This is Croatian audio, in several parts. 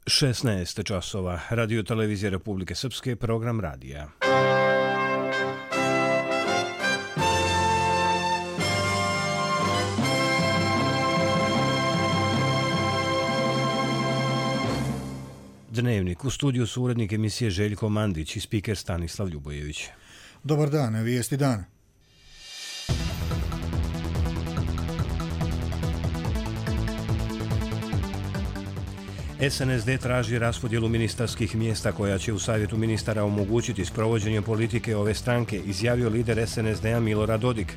16 časova. Radio televizije Republike Srpske, program radija. Dnevnik. U studiju su urednik emisije Željko Mandić i spiker Stanislav Ljubojević. Dobar dan, vijesti dana. SNSD traži raspodjelu ministarskih mjesta koja će u Savjetu ministara omogućiti sprovođenje politike ove stranke, izjavio lider SNSD-a Milorad Dodik.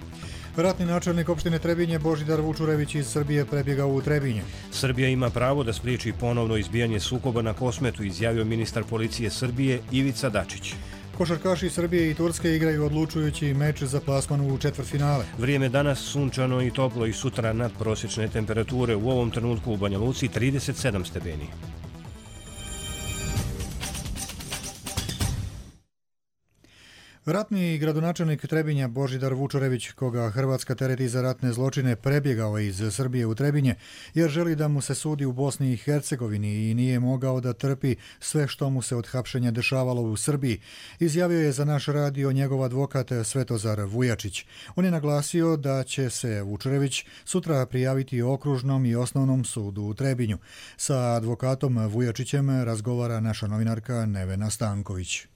Ratni načelnik opštine Trebinje Božidar Vučurević iz Srbije prebjegao u Trebinje. Srbija ima pravo da spriječi ponovno izbijanje sukoba na Kosmetu, izjavio ministar policije Srbije Ivica Dačić. Košarkaši Srbije i Turske igraju odlučujući meč za plasman u četvrtfinale. Vrijeme danas sunčano i toplo i sutra nadprosječne temperature, u ovom trenutku u Banja Luci 37 stepeni. Ratni gradonačelnik Trebinja Božidar Vučurević, koga Hrvatska tereti za ratne zločine, prebjegao iz Srbije u Trebinje jer želi da mu se sudi u Bosni i Hercegovini i nije mogao da trpi sve što mu se od hapšenja dešavalo u Srbiji, izjavio je za naš radio njegov advokat Svetozar Vujačić. On je naglasio da će se Vučurević sutra prijaviti okružnom i osnovnom sudu u Trebinju. Sa advokatom Vujačićem razgovara naša novinarka Nevena Stanković.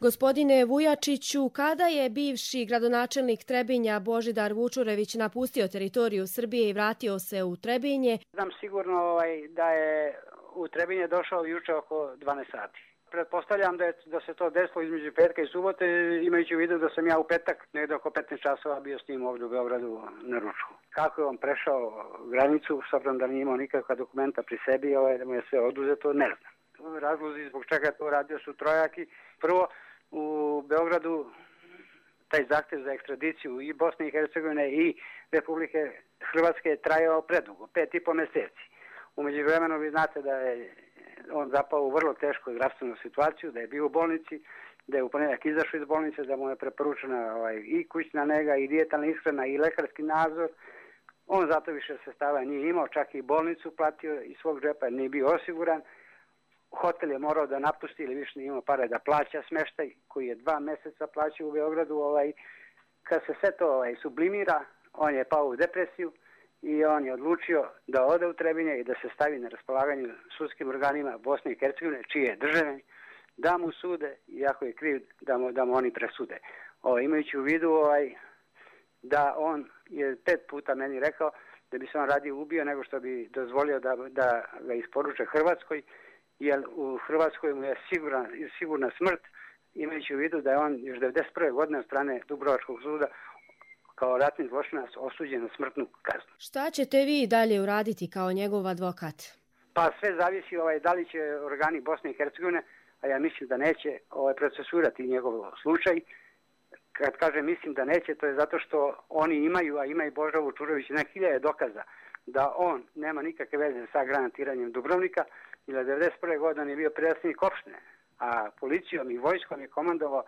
Gospodine Vujačiću, kada je bivši gradonačelnik Trebinja Božidar Vučurević napustio teritoriju Srbije i vratio se u Trebinje? Znam sigurno da je u Trebinje došao juče oko 12 sati. Pretpostavljam da se to desilo između petka i subote, imajući u vidu da sam ja u petak negdje oko 15 časova bio s njim ovdje u Beogradu na ručku. Kako je on prešao granicu, s obzirom da nije imao nikakva dokumenta pri sebi, da mu je sve oduzeto, ne znam. Razlozi zbog čega je to radio su trojaki. Prvo, u Beogradu taj zahtjev za ekstradiciju i Bosne i Hercegovine i Republike Hrvatske je trajao predugo, 5,5 mjeseci. U međuvremenu vi znate da je on zapao u vrlo tešku zdravstvenu situaciju, da je bio u bolnici, da je u ponedjeljak izašao iz bolnice, da mu je preporučena i kućna nega i dijetalna ishrana i lekarski nadzor. On zato više sredstava nije imao, čak i bolnicu platio iz svog džepa, nije bio osiguran. Hotel je morao da napusti ili više nije imao pare da plaća smještaj koji je 2 mjeseca plaćao u Beogradu. Kad se sve to sublimira, on je pao u depresiju i on je odlučio da ode u Trebinje i da se stavi na raspolaganju sudskim organima Bosne i Hercegovine, čiji je državljanin, da mu sude, iako je kriv, da mu oni presude. Imajući u vidu da on je 5 puta meni rekao da bi se on radije ubio nego što bi dozvolio da ga isporuče Hrvatskoj, jer u Hrvatskoj mu je sigurna smrt, imajući u vidu da je on još 1991. godine od strane Dubrovačkog suda kao ratni zločinac osuđen na smrtnu kaznu. Šta ćete vi dalje uraditi kao njegov advokat? Pa sve zavisi da li će organi Bosne i Hercegovine, a ja mislim da neće procesuirati njegov slučaj. Kad kažem mislim da neće, to je zato što oni imaju, a ima i Božidar Vučurević, na hiljade dokaza da on nema nikakve veze sa granatiranjem Dubrovnika, ili 1991. godine je bio predsjednik opštine, a policijom i vojskom je komandovali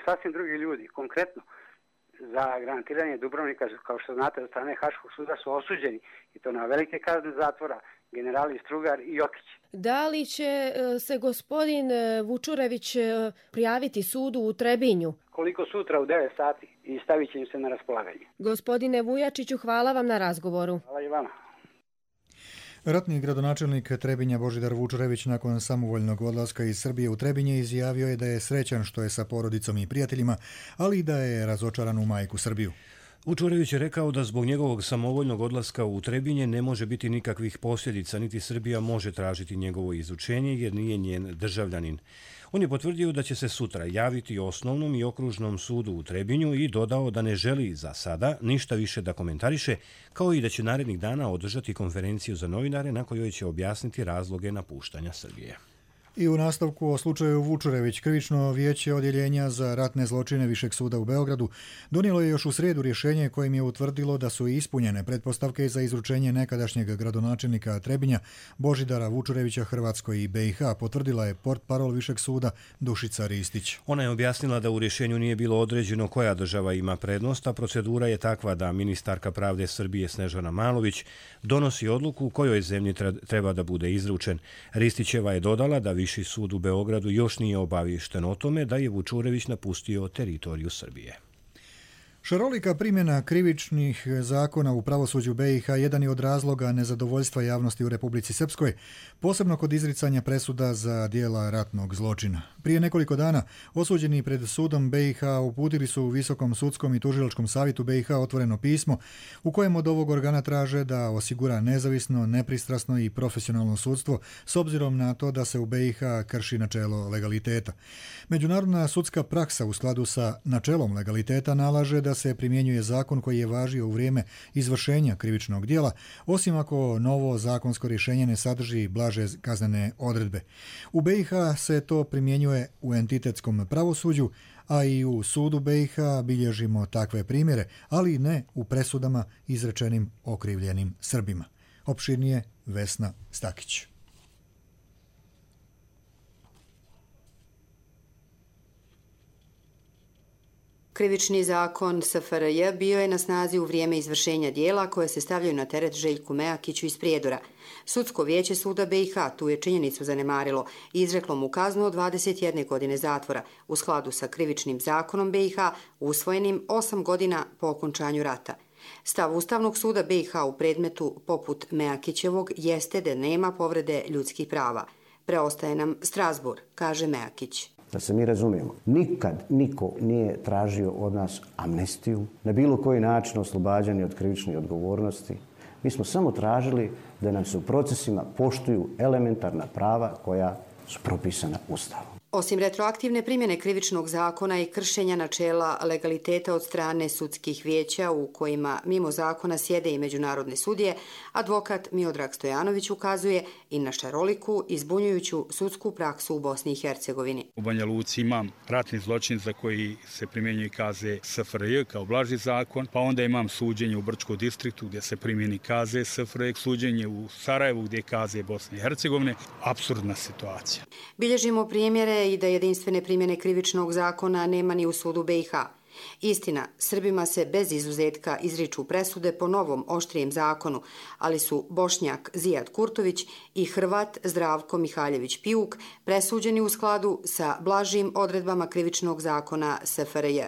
sasvim drugi ljudi. Konkretno, za granatiranje Dubrovnika, kao što znate, od strane Haškog suda su osuđeni, i to na velike kazne zatvora, generali Strugar i Jokić. Da li će se gospodin Vučurević prijaviti sudu u Trebinju? Koliko sutra u 9 sati i stavit će im se na raspolaganje. Gospodine Vujačiću, hvala vam na razgovoru. Hvala i vama. Ratni gradonačelnik Trebinja Božidar Vučurević nakon samovoljnog odlaska iz Srbije u Trebinje izjavio je da je srećan što je sa porodicom i prijateljima, ali i da je razočaran u majku Srbiju. Vučurević je rekao da zbog njegovog samovoljnog odlaska u Trebinje ne može biti nikakvih posljedica, niti Srbija može tražiti njegovo izučenje jer nije njen državljanin. On je potvrdio da će se sutra javiti osnovnom i okružnom sudu u Trebinju i dodao da ne želi za sada ništa više da komentariše, kao i da će narednih dana održati konferenciju za novinare na kojoj će objasniti razloge napuštanja Srbije. I u nastavku o slučaju Vučurević, krivično vijeće odjeljenja za ratne zločine Višeg suda u Beogradu donijelo je još u srijedu rješenje kojim je utvrdilo da su ispunjene pretpostavke za izručenje nekadašnjeg gradonačelnika Trebinja Božidara Vučurevića Hrvatskoj i BiH, potvrdila je portparol Višeg suda Dušica Ristić. Ona je objasnila da u rješenju nije bilo određeno koja država ima prednost, a procedura je takva da ministarka pravde Srbije Snežana Malović donosi odluku kojoj zemlji treba da bude izručen. Ristićeva je dodala da Viši sud u Beogradu još nije obaviješten o tome da je Vučurević napustio teritoriju Srbije. Šarolika primjena krivičnih zakona u pravosuđu BiH jedan je od razloga nezadovoljstva javnosti u Republici Srpskoj, posebno kod izricanja presuda za dijela ratnog zločina. Prije nekoliko dana osuđeni pred sudom BiH uputili su u Visokom sudskom i tužilačkom savjetu BiH otvoreno pismo u kojem od ovog organa traže da osigura nezavisno, nepristrasno i profesionalno sudstvo s obzirom na to da se u BiH krši načelo legaliteta. Međunarodna sudska praksa u skladu sa načelom legaliteta nalaže da se primjenjuje zakon koji je važio u vrijeme izvršenja krivičnog djela, osim ako novo zakonsko rješenje ne sadrži blaže kaznene odredbe. U BiH se to primjenjuje u entitetskom pravosuđu, a i u sudu BiH bilježimo takve primjere, ali ne u presudama izrečenim okrivljenim Srbima. Opširnije Vesna Stakić. Krivični zakon SFRJ bio je na snazi u vrijeme izvršenja dijela koje se stavljaju na teret Željku Mejakiću iz Prijedora. Sudsko vijeće suda BiH tu je činjenicu zanemarilo i izreklo mu kaznu od 21 godine zatvora u skladu sa krivičnim zakonom BiH usvojenim 8 godina po okončanju rata. Stav Ustavnog suda BiH u predmetu poput Mejakićevog jeste da nema povrede ljudskih prava. Preostaje nam Strasbourg, kaže Mejakić. Da se mi razumijemo, nikad niko nije tražio od nas amnestiju, na bilo koji način oslobađanje od krivične odgovornosti. Mi smo samo tražili da nam se u procesima poštuju elementarna prava koja su propisana Ustavom. Osim retroaktivne primjene krivičnog zakona i kršenja načela legaliteta od strane sudskih vijeća u kojima mimo zakona sjede i međunarodne sudije, advokat Miodrag Stojanović ukazuje i na šaroliku i zbunjujuću sudsku praksu u Bosni i Hercegovini. U Banja Luci imam ratni zločin za koji se primjenjuje kaze SFRJ kao blaži zakon, pa onda imam suđenje u Brčkom distriktu gdje se primjeni kaze SFRJ, suđenje u Sarajevu gdje je kaze Bosne i Hercegovine. Apsurdna situacija. Bilježimo primjere i da jedinstvene primjene krivičnog zakona nema ni u sudu BiH. Istina, Srbima se bez izuzetka izriču presude po novom oštrijem zakonu, ali su Bošnjak Zijad Kurtović i Hrvat Zdravko Mihaljević Pijuk presuđeni u skladu sa blažim odredbama krivičnog zakona SFRJ.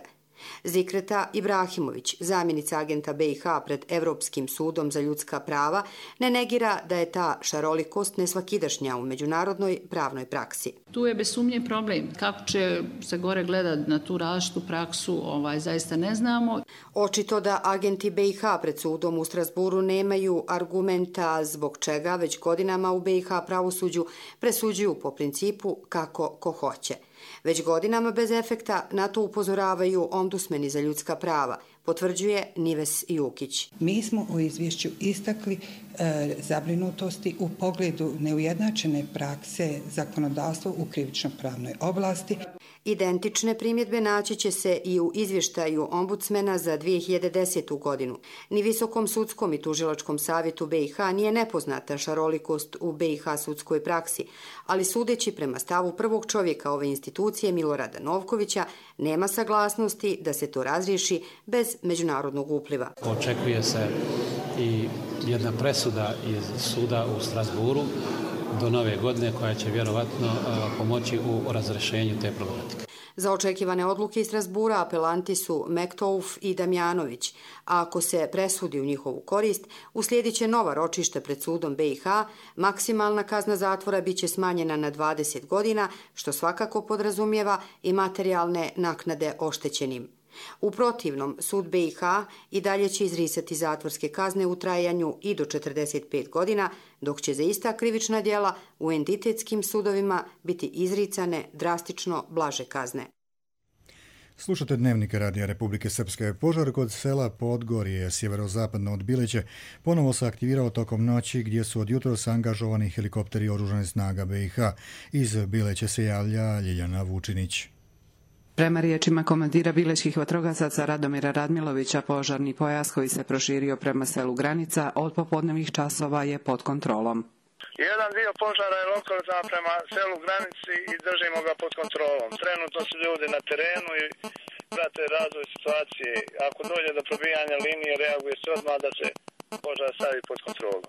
Zikreta Ibrahimović, zamjenica agenta BiH pred Evropskim sudom za ljudska prava, ne negira da je ta šarolikost nesvakidašnja u međunarodnoj pravnoj praksi. Tu je bez sumnje problem. Kako će se gore gledati na tu različitu praksu, zaista ne znamo. Očito da agenti BiH pred sudom u Strasburu nemaju argumenta zbog čega već godinama u BiH pravosuđu presuđuju po principu kako ko hoće. Već godinama bez efekta na to upozoravaju ombudsmeni za ljudska prava, potvrđuje Nives Jukić. Mi smo u izvješću istakli zabrinutosti u pogledu neujednačene prakse zakonodavstva u krivično-pravnoj oblasti. Identične primjedbe naći će se i u izvještaju ombudsmena za 2010. godinu. Ni Visokom sudskom i tužilačkom savjetu BiH nije nepoznata šarolikost u BiH sudskoj praksi, ali sudeći prema stavu prvog čovjeka ove institucije Milorada Novkovića, nema saglasnosti da se to razriješi bez međunarodnog upliva. Očekuje se i jedna presuda iz suda u Strasburu do nove godine koja će vjerovatno pomoći u razrešenju te problematike. Za očekivane odluke iz Strasbura apelanti su Mektouf i Damjanović, a ako se presudi u njihovu korist, uslijedit će nova ročišta pred sudom BiH, maksimalna kazna zatvora biće smanjena na 20 godina, što svakako podrazumijeva i materijalne naknade oštećenim. U protivnom, sud BiH i dalje će izrisati zatvorske kazne u trajanju i do 45 godina, dok će za ista krivična djela u entitetskim sudovima biti izricane drastično blaže kazne. Slušate Dnevnik Radija Republike Srpske. Požar kod sela Podgorje, sjeverozapadno od Bileće, ponovo se aktivirao tokom noći gdje su od jutros angažovani helikopteri oružanih snaga BiH. Iz Bileće se javlja Ljiljana Vučinić. Prema riječima komandira bilećkih vatrogasaca Radomira Radmilovića, požarni pojas koji se proširio prema selu Granica od popodnevnih časova je pod kontrolom. Jedan dio požara je lokalizan prema selu Granici i držimo ga pod kontrolom. Trenutno su ljudi na terenu i prate razvoj situacije. Ako dođe do probijanja linije, reaguje se odmah da se požar stavi pod kontrolu.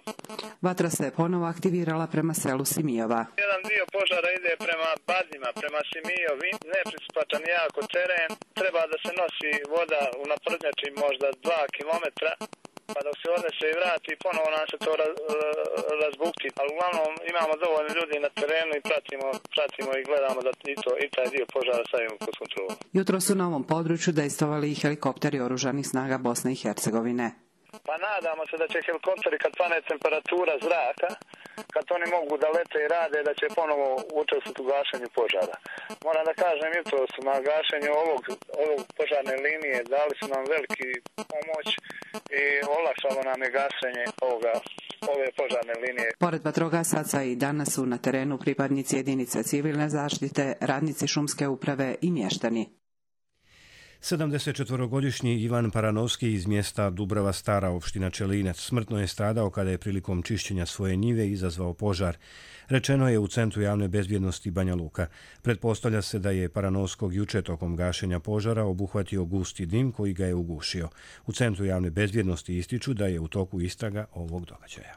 Vatra se ponovo aktivirala prema selu Simijova. Jedan dio požara ide prema Badnjima, prema Simijovi, nepristupačan jako teren. Treba da se nosi voda u naprednjači možda 2 kilometra. Pa dok se odnese i vrati, ponovo nam se to razbukti. Ali uglavnom imamo dovoljno ljudi na terenu i pratimo i gledamo da i taj dio požara stavimo pod kontrolu. Jutro su na ovom području dejstvovali i helikopteri oružanih snaga Bosne i Hercegovine. Pa nadamo se da će helikopteri kad pane temperatura zraka, kad oni mogu da lete i rade, da će ponovo učestvovati u gašenju požara. Moram da kažem, jutro su na gašenju ovog požarne linije dali su nam veliki pomoć i olakšalo nam je gašenje ove požarne linije. Pored vatrogasaca i danas su na terenu pripadnici jedinice civilne zaštite, radnici šumske uprave i mještani. 74-godišnji Ivan Paranovski iz mjesta Dubrava Stara, opština Čelinac, smrtno je stradao kada je prilikom čišćenja svoje njive izazvao požar. Rečeno je u Centru javne bezbjednosti Banja Luka. Pretpostavlja se da je Paranovskog juče tokom gašenja požara obuhvatio gusti dim koji ga je ugušio. U Centru javne bezbjednosti ističu da je u toku istraga ovog događaja.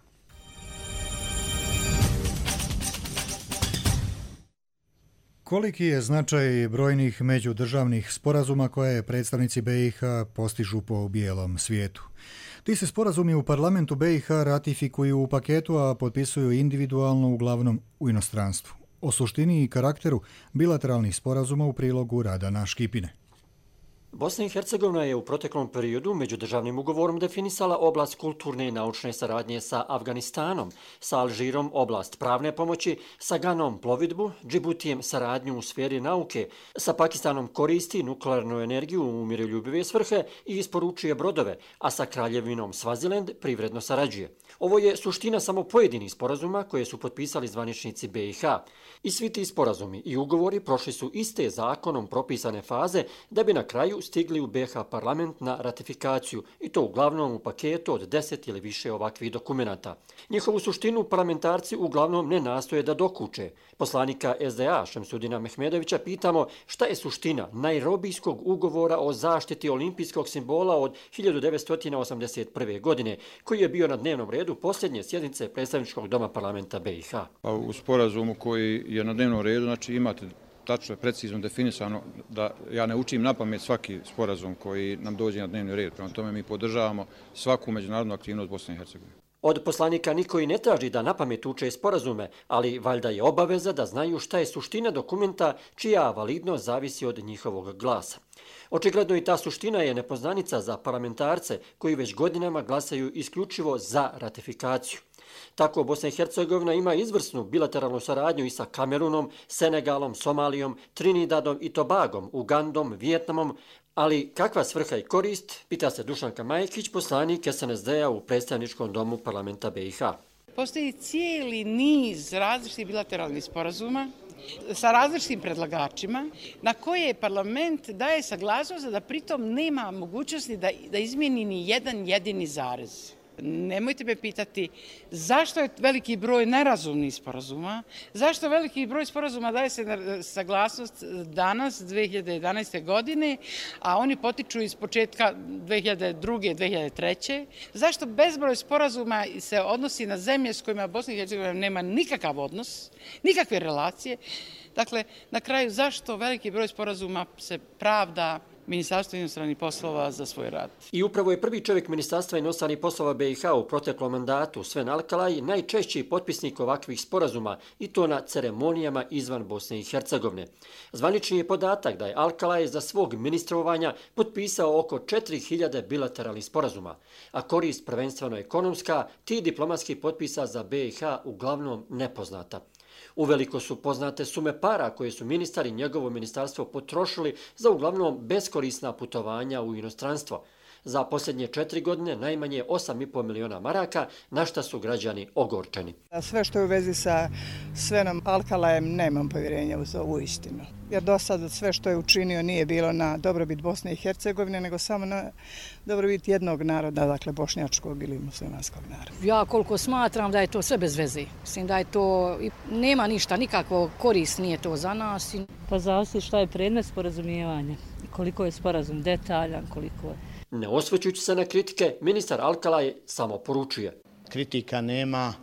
Koliki je značaj brojnih međudržavnih sporazuma koje predstavnici BiH postižu po bijelom svijetu? Ti se sporazumi u parlamentu BiH ratifikuju u paketu, a potpisuju individualno, uglavnom u inostranstvu. O suštini i karakteru bilateralnih sporazuma u prilogu Radana Škipine. Bosna i Hercegovina je u proteklom periodu međudržavnim ugovorom definisala oblast kulturne i naučne saradnje sa Afganistanom, sa Alžirom oblast pravne pomoći, sa Ganom plovidbu, Džibutijem saradnju u sferi nauke, sa Pakistanom koristi nuklearnu energiju u miroljubive svrhe i isporučuje brodove, a sa Kraljevinom Svaziland privredno sarađuje. Ovo je suština samo pojedinih sporazuma koje su potpisali zvaničnici BiH. I svi ti sporazumi i ugovori prošli su iste zakonom propisane faze da bi na kraju stigli u BiH parlament na ratifikaciju i to uglavnom u paketu od 10 ili više ovakvih dokumenata. Njihovu suštinu parlamentarci uglavnom ne nastoje da dokuče. Poslanika SDA Šemsudina Mehmedovića pitamo šta je suština Najrobijskog ugovora o zaštiti olimpijskog simbola od 1981. godine, koji je bio na dnevnom redu posljednje sjednice predstavničkog doma parlamenta BiH. U sporazumu koji je na dnevnom redu, znači imate tačno, precizno definisano da ja ne učim na pamet svaki sporazum koji nam dođe na dnevni red. Prema tome mi podržavamo svaku međunarodnu aktivnost Bosne i Hercegovine. Od poslanika niko i ne traži da na pamet uče sporazume, ali valjda je obaveza da znaju šta je suština dokumenta čija validnost zavisi od njihovog glasa. Očigledno i ta suština je nepoznanica za parlamentarce koji već godinama glasaju isključivo za ratifikaciju. Tako Bosna i Hercegovina ima izvrsnu bilateralnu saradnju i sa Kamerunom, Senegalom, Somalijom, Trinidadom i Tobagom, Ugandom, Vijetnamom, ali kakva svrha i korist, pita se Dušanka Majkić, poslanik SNSD-a u predstavničkom domu parlamenta BiH. Postoji cijeli niz različitih bilateralnih sporazuma sa različitim predlagačima na koje parlament daje saglasnost da pritom nema mogućnosti da izmijeni ni jedan jedini zarez. Nemojte me pitati zašto je veliki broj nerazumnih sporazuma, zašto veliki broj sporazuma daje se na saglasnost danas, 2011. godine, a oni potiču iz početka 2002. 2003. Zašto bezbroj sporazuma se odnosi na zemlje s kojima Bosna i Hercegovina nema nikakav odnos, nikakve relacije. Dakle, na kraju zašto veliki broj sporazuma se pravda Ministarstvo inostranih poslova za svoj rad. I upravo je prvi čovjek Ministarstva inostranih poslova BiH u proteklom mandatu, Sven Alkalaj, najčešći potpisnik ovakvih sporazuma i to na ceremonijama izvan Bosne i Hercegovine. Zvanični je podatak da je Alkalaj za svog ministrovanja potpisao oko 4000 bilateralnih sporazuma, a korist prvenstveno ekonomska, ti diplomatskih potpisa za BiH uglavnom nepoznata. Uveliko su poznate sume para koje su ministar i njegovo ministarstvo potrošili za uglavnom beskorisna putovanja u inostranstvo. Za posljednje 4 godine najmanje 8,5 miliona maraka, na šta su građani ogorčeni. Sve što je u vezi sa Svenom Alkalajem nemam povjerenja u ovu istinu. Jer do sada sve što je učinio nije bilo na dobrobit Bosne i Hercegovine, nego samo na dobrobit jednog naroda, dakle bošnjačkog ili muslimanskog naroda. Ja koliko smatram da je to sve bez veze. Mislim da je to, nema ništa, nikakvo korist nije to za nas. Pa zavisi šta je predmet sporazumijevanja, koliko je sporazum detaljan, koliko je. Ne osvrćući se na kritike, ministar Alkalaj samo poručuje. Kritika nema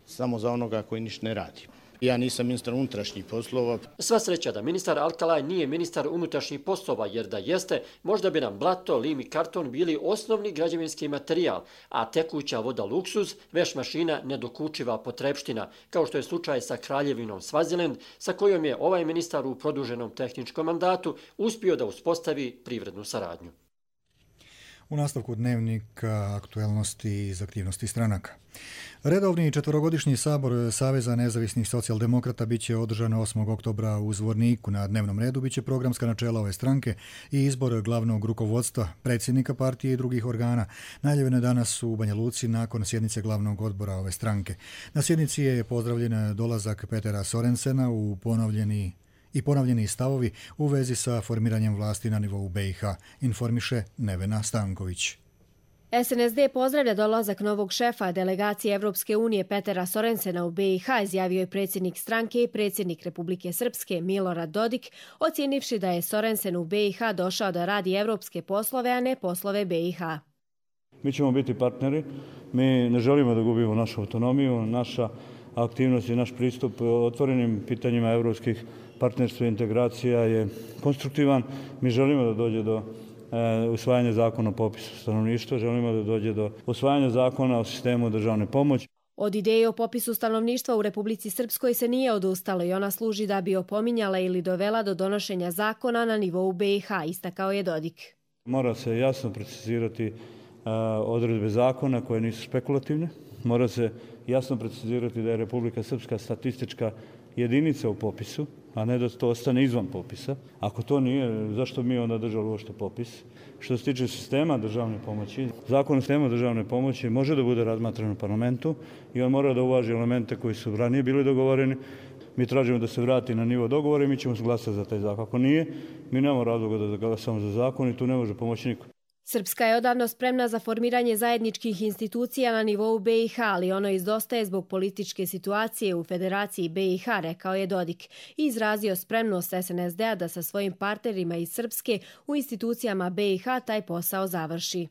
samo za onoga koji ništa ne radi. Ja nisam ministar unutrašnjih poslova. Sva sreća da ministar Alkalaj nije ministar unutrašnjih poslova, jer da jeste, možda bi nam blato, lim i karton bili osnovni građevinski materijal, a tekuća voda luksuz, veš mašina nedokučiva potrepština, kao što je slučaj sa Kraljevinom Svaziland, sa kojom je ovaj ministar u produženom tehničkom mandatu uspio da uspostavi privrednu saradnju. U nastavku dnevnika aktuelnosti iz aktivnosti stranaka. Redovni četvorogodišnji sabor Saveza nezavisnih socijaldemokrata biće održan 8. oktobra u Zvorniku. Na dnevnom redu biće programska načela ove stranke i izbor glavnog rukovodstva, predsjednika partije i drugih organa. Najavljeno je danas u Banja Luci nakon sjednice glavnog odbora ove stranke. Na sjednici je pozdravljen dolazak Petera Sorensena u ponovljeni stavovi u vezi sa formiranjem vlasti na nivou BiH, informiše Nevena Stanković. SNSD pozdravlja dolazak novog šefa delegacije Evropske unije Petera Sorensena u BiH, izjavio je predsjednik stranke i predsjednik Republike Srpske Milorad Dodik, ocijenivši da je Sorensen u BiH došao da radi evropske poslove, a ne poslove BiH. Mi ćemo biti partneri, mi ne želimo da gubimo našu autonomiju, naša aktivnost i naš pristup otvorenim pitanjima evropskih partnerstva i integracija je konstruktivan. Mi želimo da dođe do usvajanja zakona o popisu stanovništva, želimo da dođe do usvajanja zakona o sistemu državne pomoći. Od ideje o popisu stanovništva u Republici Srpskoj se nije odustalo i ona služi da bi opominjala ili dovela do donošenja zakona na nivou BiH, istakao je Dodik. Mora se jasno precizirati odredbe zakona koje nisu spekulativne. Mora se jasno precizirati da je Republika Srpska statistička jedinica u popisu, a ne da to ostane izvan popisa. Ako to nije, zašto mi onda držali uopšte popis? Što se tiče sistema državne pomoći, zakon o sistemu državne pomoći može da bude razmatran u parlamentu i on mora da uvaži elemente koji su ranije bili dogovoreni. Mi tražimo da se vrati na nivo dogovora i mi ćemo glasati za taj zakon. Ako nije, mi nemamo razloga da glasamo za zakon i tu ne može pomoći niko. Srpska je odavno spremna za formiranje zajedničkih institucija na nivou BiH, ali ono izdostaje zbog političke situacije u Federaciji BiH, rekao je Dodik, i izrazio spremnost SNSD-a da sa svojim partnerima iz Srpske u institucijama BiH taj posao završi.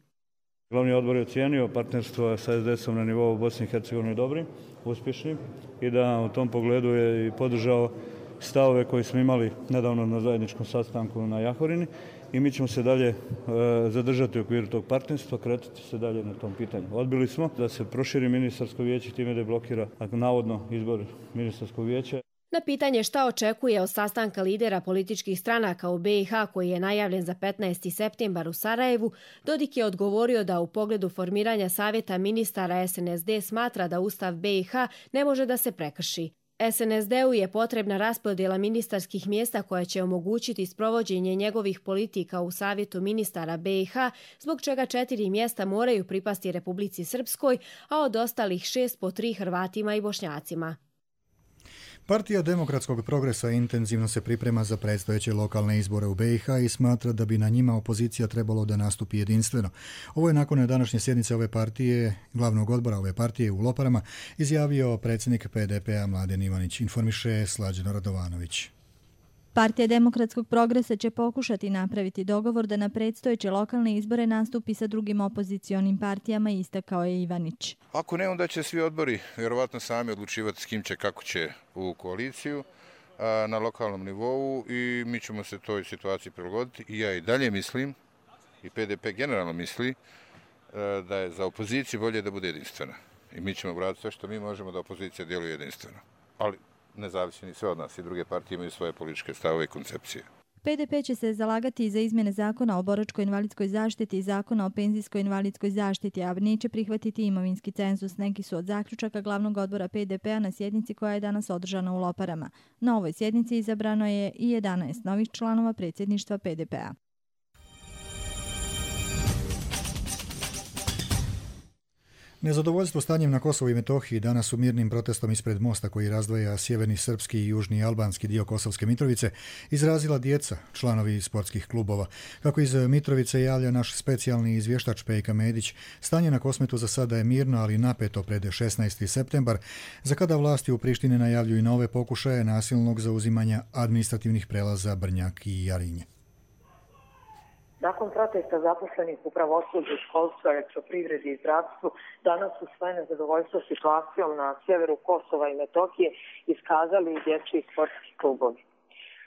Glavni odbor je ocijenio partnerstvo sa SDS-om na nivou Bosne i Hercegovine dobrim, uspješnim i da u tom pogledu je i podržao stavove koje smo imali nedavno na zajedničkom sastanku na Jahorini i mi ćemo se dalje zadržati u okviru tog partnerstva, kretati se dalje na tom pitanju. Odbili smo da se proširi ministarsko vijeće, time da je blokira navodno izbor ministarskog vijeća. Na pitanje šta očekuje od sastanka lidera političkih stranaka u BiH koji je najavljen za 15. septembar u Sarajevu, Dodik je odgovorio da u pogledu formiranja savjeta ministara SNSD smatra da Ustav BiH ne može da se prekrši. SNSD-u je potrebna raspodjela ministarskih mjesta koja će omogućiti sprovođenje njegovih politika u Savjetu ministara BiH, zbog čega 4 mjesta moraju pripasti Republici Srpskoj, a od ostalih 6 po 3 Hrvatima i Bošnjacima. Partija Demokratskog progresa intenzivno se priprema za predstojeće lokalne izbore u BiH i smatra da bi na njima opozicija trebalo da nastupi jedinstveno. Ovo je nakon današnje sjednice ove partije, glavnog odbora ove partije u Loparama, izjavio predsjednik PDP-a Mladen Ivanić, informiše Slađeno Radovanović. Partija Demokratskog progresa će pokušati napraviti dogovor da na predstojeće lokalne izbore nastupi sa drugim opozicionim partijama, istakao je Ivanić. Ako ne, onda će svi odbori vjerovatno sami odlučivati s kim će, kako će u koaliciju na lokalnom nivou i mi ćemo se toj situaciji prilagoditi. I ja i dalje mislim, i PDP generalno misli, da je za opoziciju bolje da bude jedinstvena. I mi ćemo vratiti sve što mi možemo da opozicija djeluje jedinstveno. Ali ne zavisi ni sve od nas, i druge partije imaju svoje političke stavove i koncepcije. PDP će se zalagati za izmjene zakona o boračko-invalidskoj zaštiti i zakona o penzijsko-invalidskoj zaštiti, a neće prihvatiti imovinski cenzus. Neki su od zaključaka glavnog odbora PDP-a na sjednici koja je danas održana u Loparama. Na ovoj sjednici izabrano je i 11 novih članova predsjedništva PDP-a. Nezadovoljstvo stanjem na Kosovu i Metohiji danas su mirnim protestom ispred mosta koji razdvaja sjeverni srpski i južni albanski dio Kosovske Mitrovice izrazila djeca, članovi sportskih klubova. Kako iz Mitrovice javlja naš specijalni izvještač Pejka Medić, stanje na Kosmetu za sada je mirno, ali napeto pred 16. septembar, za kada vlasti u Prištini najavljuju nove pokušaje nasilnog zauzimanja administrativnih prelaza Brnjak i Jarinje. Nakon protesta zaposlenih u pravosuđu, školstvu, elektroprivredi i zdravstvu, danas su svoje nezadovoljstvo situacijom na sjeveru Kosova i Metohije iskazali i dječji sportski klubovi.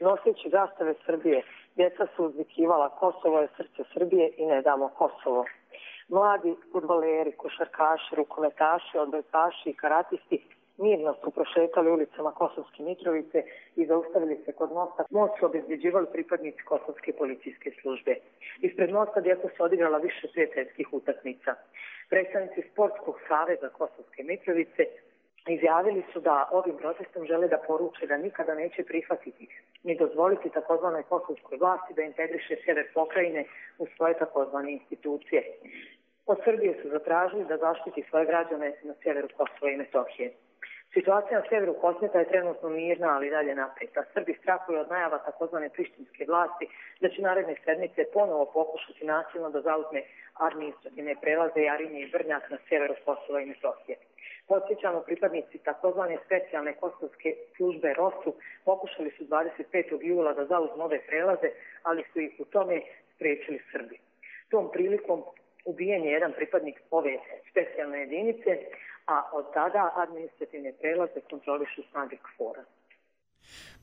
Noseći zastave Srbije, djeca su uzvikivala Kosovo je srce Srbije i ne damo Kosovo. Mladi fudbaleri, košarkaši, rukometaši, odbojkaši i karatisti mirno su prošetali ulicama Kosovske Mitrovice i zaustavili se kod mosta. Most su obezbjeđivali pripadnici Kosovske policijske službe. Ispred mosta djeca su odigrala više prijateljskih utakmica. Predstavnici Sportskog saveza Kosovske Mitrovice izjavili su da ovim protestom žele da poruče da nikada neće prihvatiti ni dozvoliti takozvanoj kosovskoj vlasti da integriše sjever pokrajine u svoje takozvane institucije. Od Srbije su zatražili da zaštiti svoje građane na sjeveru Kosova i Metohije. Situacija na sjeveru Kosmeta je trenutno mirna, ali dalje napeta. Srbi strahuju od najava takozvane prištinske vlasti da će naredne sedmice ponovo pokušati nasilno da zauzme administrativne prelaze Jarinje i Brnjak na sjeveru Kosova i Metohije. Podsjećamo, pripadnici takozvane specijalne kosovske službe ROSU pokušali su 25. jula da zauzmu ove prelaze, ali su ih u tome spriječili Srbi. Tom prilikom ubijen je jedan pripadnik ove specijalne jedinice, a od tada administrativne prelaze kontrolišu snage KFOR-a.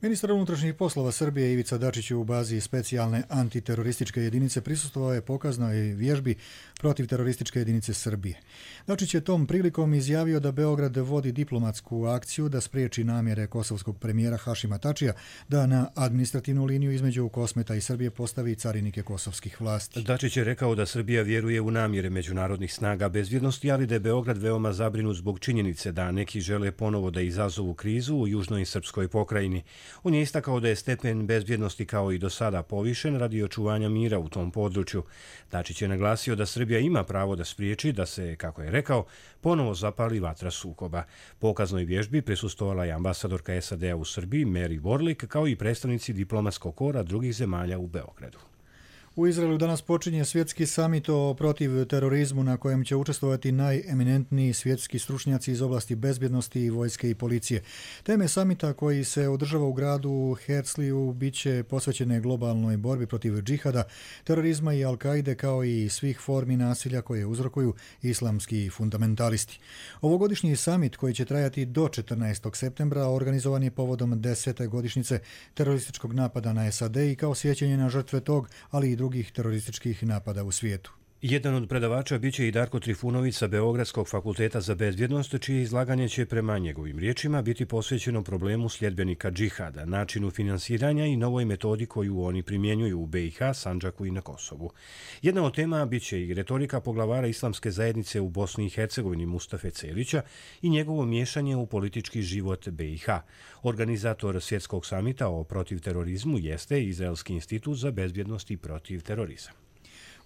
Ministar unutrašnjih poslova Srbije Ivica Dačić u bazi specijalne antiterorističke jedinice prisustvovao je pokaznoj vježbi protiv terorističke jedinice Srbije. Dačić je tom prilikom izjavio da Beograd vodi diplomatsku akciju da spriječi namjere kosovskog premijera Hašima Tačija da na administrativnu liniju između Kosmeta i Srbije postavi carinike kosovskih vlasti. Dačić je rekao da Srbija vjeruje u namjere međunarodnih snaga bezbjednosti, ali da je Beograd veoma zabrinut zbog činjenice da neki žele ponovo da izazovu krizu u južnoj srpskoj pokrajini. On je istakao da je stepen bezbjednosti kao i do sada povišen radi očuvanja mira u tom području. Dačić je naglasio da Srbija ima pravo da spriječi da se, kako je rekao, ponovo zapali vatra sukoba. Pokaznoj vježbi prisustvovala je ambasadorka SAD-a u Srbiji Mary Warlick, kao i predstavnici diplomatskog kora drugih zemalja u Beogradu. U Izraelu danas počinje svjetski samit o protiv terorizmu na kojem će učestvovati najeminentniji svjetski stručnjaci iz oblasti bezbjednosti, vojske i policije. Teme samita koji se održava u gradu Herzliju bit će posvećene globalnoj borbi protiv džihada, terorizma i Al-Kaide kao i svih formi nasilja koje uzrokuju islamski fundamentalisti. Ovogodišnji samit koji će trajati do 14. septembra organizovan je povodom 10. godišnjice terorističkog napada na SAD i kao sjećanje na žrtve tog, ali i drugih terorističkih napada u svijetu. Jedan od predavača biće i Darko Trifunović sa Beogradskog fakulteta za bezbjednost, čije izlaganje će prema njegovim riječima biti posvećeno problemu sljedbenika džihada, načinu finansiranja i novoj metodi koju oni primjenjuju u BiH, Sandžaku i na Kosovu. Jedna od tema biće i retorika poglavara islamske zajednice u Bosni i Hercegovini Mustafe Celića i njegovo miješanje u politički život BiH. Organizator svjetskog samita o protiv terorizmu jeste Izraelski institut za bezbjednost i protiv terorizam.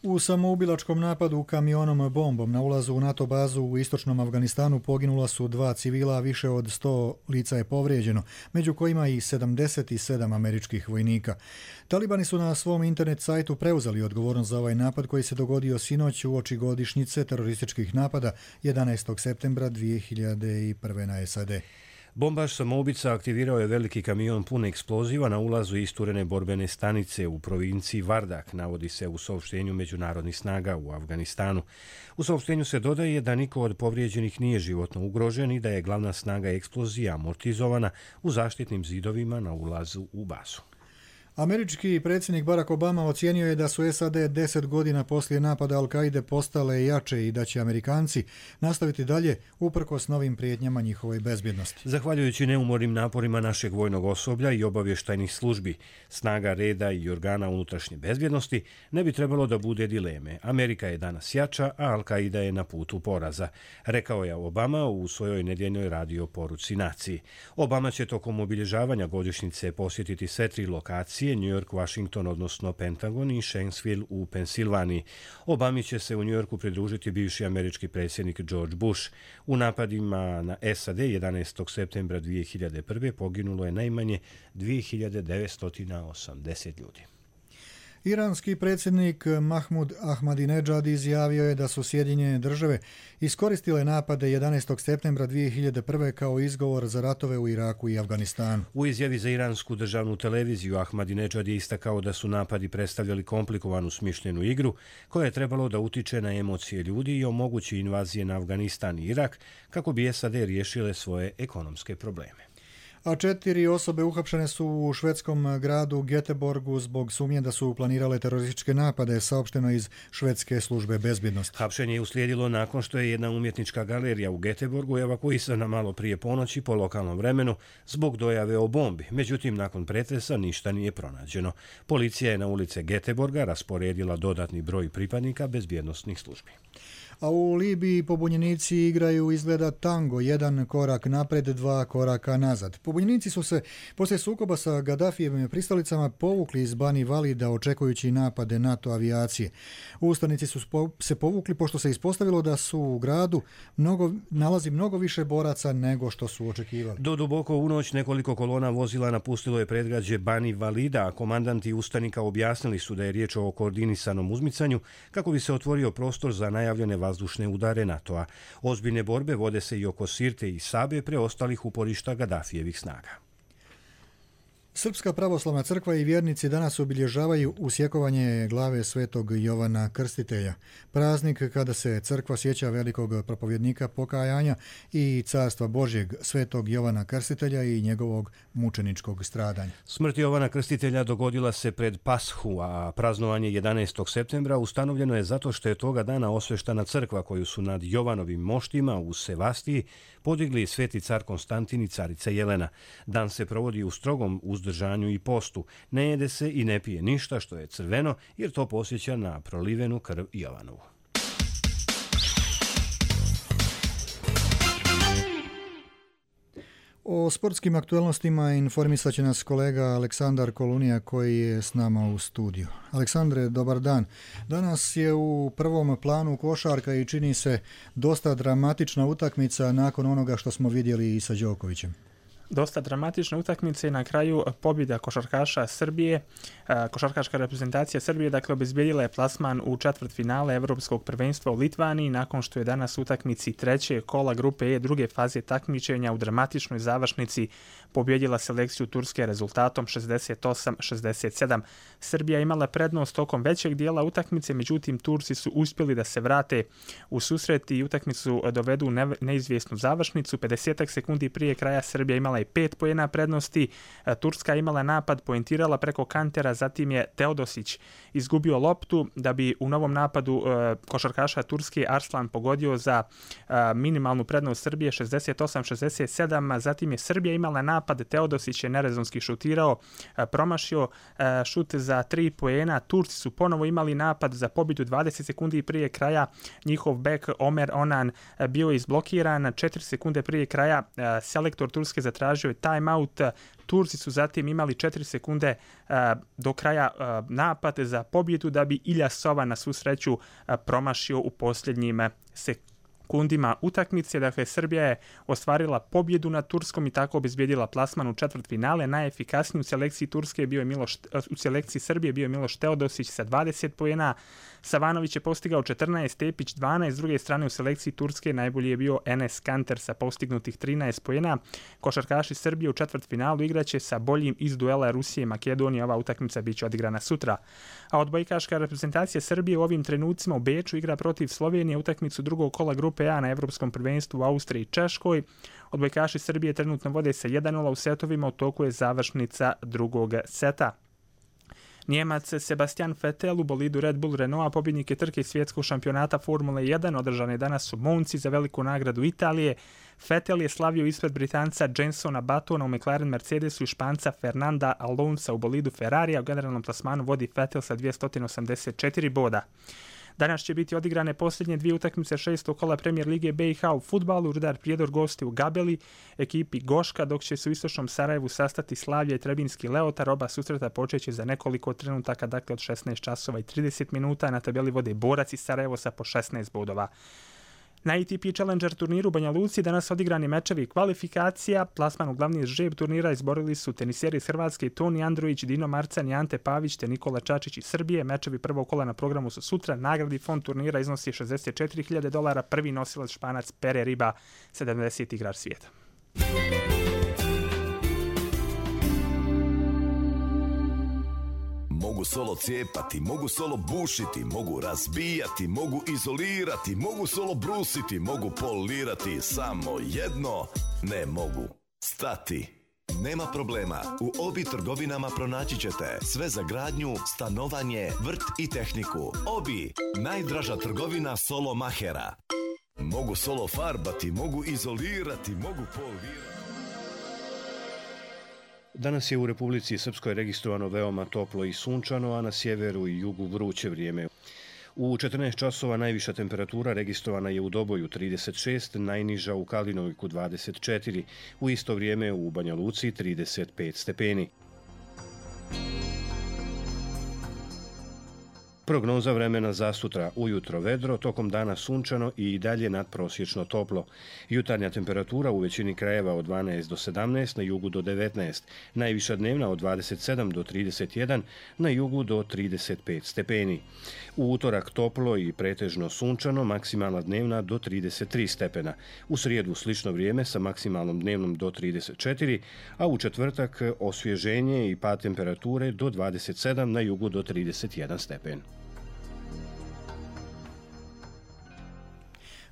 U samoubilačkom napadu kamionom bombom na ulazu u NATO bazu u istočnom Afganistanu poginula su 2 civila, a više od 100 lica je povrijeđeno, među kojima i 77 američkih vojnika. Talibani su na svom internet sajtu preuzeli odgovornost za ovaj napad koji se dogodio sinoć uoči godišnjice terorističkih napada 11. septembra 2001. na SAD. Bombaš samoubica aktivirao je veliki kamion pun eksploziva na ulazu isturene borbene stanice u provinciji Vardak, navodi se u saopštenju međunarodnih snaga u Afganistanu. U saopštenju se dodaje da niko od povrijeđenih nije životno ugrožen i da je glavna snaga eksplozija amortizovana u zaštitnim zidovima na ulazu u bazu. Američki predsjednik Barack Obama ocijenio je da su SAD 10 godina poslije napada Al-Kaide postale jače i da će Amerikanci nastaviti dalje uprkos novim prijetnjama njihovoj bezbjednosti. Zahvaljujući neumornim naporima našeg vojnog osoblja i obavještajnih službi, snaga reda i organa unutrašnje bezbjednosti, ne bi trebalo da bude dileme. Amerika je danas jača, a Al-Kaida je na putu poraza, rekao je Obama u svojoj nedjeljnoj radio poruci naciji. Obama će tokom obilježavanja godišnjice posjetiti sve 3 lokacije, New York, Washington, odnosno Pentagon i Shanksville u Pensilvaniji. Obami će se u New Yorku pridružiti bivši američki predsjednik George Bush. U napadima na SAD 11. septembra 2001. poginulo je najmanje 2980 ljudi. Iranski predsjednik Mahmud Ahmadinejad izjavio je da su Sjedinjene države iskoristile napade 11. septembra 2001. kao izgovor za ratove u Iraku i Afganistanu. U izjavi za iransku državnu televiziju Ahmadinejad je istakao da su napadi predstavljali komplikovanu smišljenu igru koja je trebalo da utiče na emocije ljudi i omogući invazije na Afganistan i Irak kako bi SAD riješile svoje ekonomske probleme. A 4 osobe uhapšene su u švedskom gradu Göteborgu zbog sumnje da su planirale terorističke napade, saopšteno iz švedske službe bezbjednosti. Hapšenje je uslijedilo nakon što je jedna umjetnička galerija u Göteborgu evakuisana malo prije ponoći po lokalnom vremenu zbog dojave o bombi. Međutim, nakon pretresa ništa nije pronađeno. Policija je na ulice Göteborga rasporedila dodatni broj pripadnika bezbjednosnih službi. A u Libiji pobunjenici igraju izgleda tango, 1 korak napred, 2 koraka nazad. Pobunjenici su se poslije sukoba sa Gaddafijevim pristalicama povukli iz Bani Valida očekujući napade NATO avijacije. Ustanici su se povukli pošto se ispostavilo da su u gradu nalazi mnogo više boraca nego što su očekivali. Do duboko u noć nekoliko kolona vozila napustilo je predgrađe Bani Valida, a komandanti ustanika objasnili su da je riječ o koordinisanom uzmicanju kako bi se otvorio prostor za najavljene vazdušne udare NATO-a. Ozbiljne borbe vode se i oko Sirte i Sabe, preostalih uporišta Gaddafijevih snaga. Srpska pravoslavna crkva i vjernici danas obilježavaju usjekovanje glave svetog Jovana Krstitelja. Praznik kada se crkva sjeća velikog propovjednika pokajanja i carstva Božjeg svetog Jovana Krstitelja i njegovog mučeničkog stradanja. Smrt Jovana Krstitelja dogodila se pred Pashu, a praznovanje 11. septembra ustanovljeno je zato što je toga dana osveštana crkva koju su nad Jovanovim moštima u Sevastiji podigli sveti car Konstantin i carica Jelena. Dan se provodi u strogom uzdržanju i postu. Ne jede se i ne pije ništa što je crveno, jer to podsjeća na prolivenu krv Jovanovu. O sportskim aktualnostima informisat će nas kolega Aleksandar Kolunija koji je s nama u studiju. Aleksandre, dobar dan. Danas je u prvom planu košarka i čini se dosta dramatična utakmica nakon onoga što smo vidjeli i sa Đokovićem. Dosta dramatična utakmica i na kraju pobjeda košarkaša Srbije. Košarkaška reprezentacija Srbije obezbijedila je plasman u četvrtfinale Evropskog prvenstva u Litvaniji nakon što je danas utakmici 3. kola grupe E druge faze takmičenja u dramatičnoj završnici pobjedila selekciju Turske rezultatom 68-67. Srbija imala prednost tokom većeg dijela utakmice, međutim Turci su uspjeli da se vrate u susret i utakmicu dovedu u neizvjesnu završnicu. 50 sekundi prije kraja Srbija imala i 5 poena prednosti. Turska imala napad, poentirala preko kantera, zatim je Teodosić izgubio loptu da bi u novom napadu košarkaša Turske Arslan pogodio za minimalnu prednost Srbije 68-67. Zatim je Srbija imala napad, Teodosić je nerezonski šutirao, promašio šut za 3 poena. Turci su ponovo imali napad za pobjedu 20 sekundi prije kraja. Njihov bek Omer Onan bio je izblokiran. 4 sekunde prije kraja selektor Turske zatražio je timeout. Turci su zatim imali 4 sekunde do kraja napad za pobjedu da bi Iljasova na svu sreću promašio u posljednjim sekundima utakmice. Dakle, Srbija je ostvarila pobjedu nad Turskom i tako obezbijedila plasman u četvrtfinale. Najefikasniji u selekciji u selekciji Srbije bio je Miloš Teodosić sa 20 poena. Savanović je postigao 14, Tepić 12. S druge strane u selekciji Turske najbolji je bio Enes Kanter sa postignutih 13 poena. Košarkaši Srbije u četvrtfinalu igraće sa boljim iz duela Rusije i Makedonije. Ova utakmica biće odigrana sutra. A odbojkaška reprezentacija Srbije u ovim trenucima u Beču igra protiv Slovenije utakmicu drugog kola grupe A na Evropskom prvenstvu u Austriji i Češkoj. Odbojkaši Srbije trenutno vode sa 1-0 u setovima, u toku je završnica drugog seta. Njemac Sebastian Vettel u bolidu Red Bull Renaulta pobjednik je trke svjetskog šampionata Formule 1, održane danas u Monci za veliku nagradu Italije. Vettel je slavio ispred Britanca Jensona Buttona u McLaren Mercedesu i Španca Fernanda Alonsa u bolidu Ferrarija. U generalnom plasmanu vodi Vettel sa 284 boda. Danas će biti odigrane posljednje dvije utakmice 6. kola Premijer Lige BiH u fudbalu. Rudar Prijedor gosti u Gabeli, ekipi Goška, dok će se u istočnom Sarajevu sastati Slavija i Trebinski Leotar. Oba susreta počeće za nekoliko trenutaka, dakle od 16 časova i 30 minuta. Na tabeli vode Borac i Sarajevo sa po 16 bodova. Na ATP Challenger turniru u Banja Luci danas odigrani mečevi kvalifikacija. Plasman u glavni žreb turnira izborili su teniseri iz Hrvatske Toni Andrović, Dino Marcan i Ante Pavić te Nikola Čačić iz Srbije. Mečevi prvog kola na programu su sutra. Nagradni fond turnira iznosi $64.000. Prvi nosilac Španac Pere Riba, 70. igrač svijeta. Mogu solo cijepati, mogu solo bušiti, mogu razbijati, mogu izolirati, mogu solo brusiti, mogu polirati, samo jedno ne mogu. Stati. Nema problema, u Obi trgovinama pronaći ćete sve za gradnju, stanovanje, vrt i tehniku. Obi, najdraža trgovina solo mahera. Mogu solo farbati, mogu izolirati, mogu polirati. Danas je u Republici Srpskoj registrovano veoma toplo i sunčano, a na sjeveru i jugu vruće vrijeme. U 14 časova najviša temperatura registrovana je u Doboju 36, najniža u Kalinovku 24, u isto vrijeme u Banja Luci 35 stepeni. Prognoza vremena za sutra: ujutro vedro, tokom dana sunčano i dalje nadprosječno toplo. Jutarnja temperatura u većini krajeva od 12 do 17, na jugu do 19, najviša dnevna od 27 do 31, na jugu do 35 stepeni. U utorak toplo i pretežno sunčano, maksimalna dnevna do 33 stepena. U srijedu slično vrijeme sa maksimalnom dnevnom do 34, a u četvrtak osvježenje i pad temperature do 27, na jugu do 31 stepen.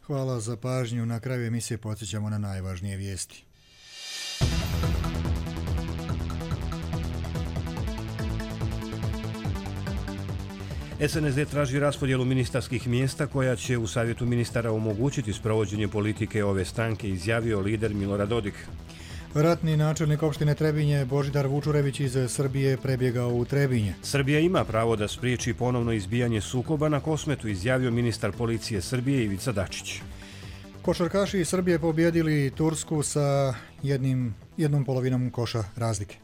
Hvala za pažnju. Na kraju emisije podsjećamo na najvažnije vijesti. SNSD traži raspodjelu ministarskih mjesta koja će u savjetu ministara omogućiti sprovođenje politike ove stranke, izjavio lider Milorad Dodik. Ratni načelnik opštine Trebinje Božidar Vučurević iz Srbije prebjegao u Trebinje. Srbija ima pravo da spriječi ponovno izbijanje sukoba na Kosmetu, izjavio ministar policije Srbije Ivica Dačić. Košarkaši iz Srbije pobjedili Tursku sa jednom polovinom koša razlike.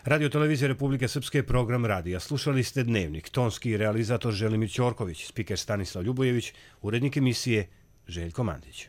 Radio Televizija Republike Srpske, program radija. Slušali ste Dnevnik. Tonski realizator Želimir Ćorković, spiker Stanislav Ljubojević, urednik emisije Željko Mandić.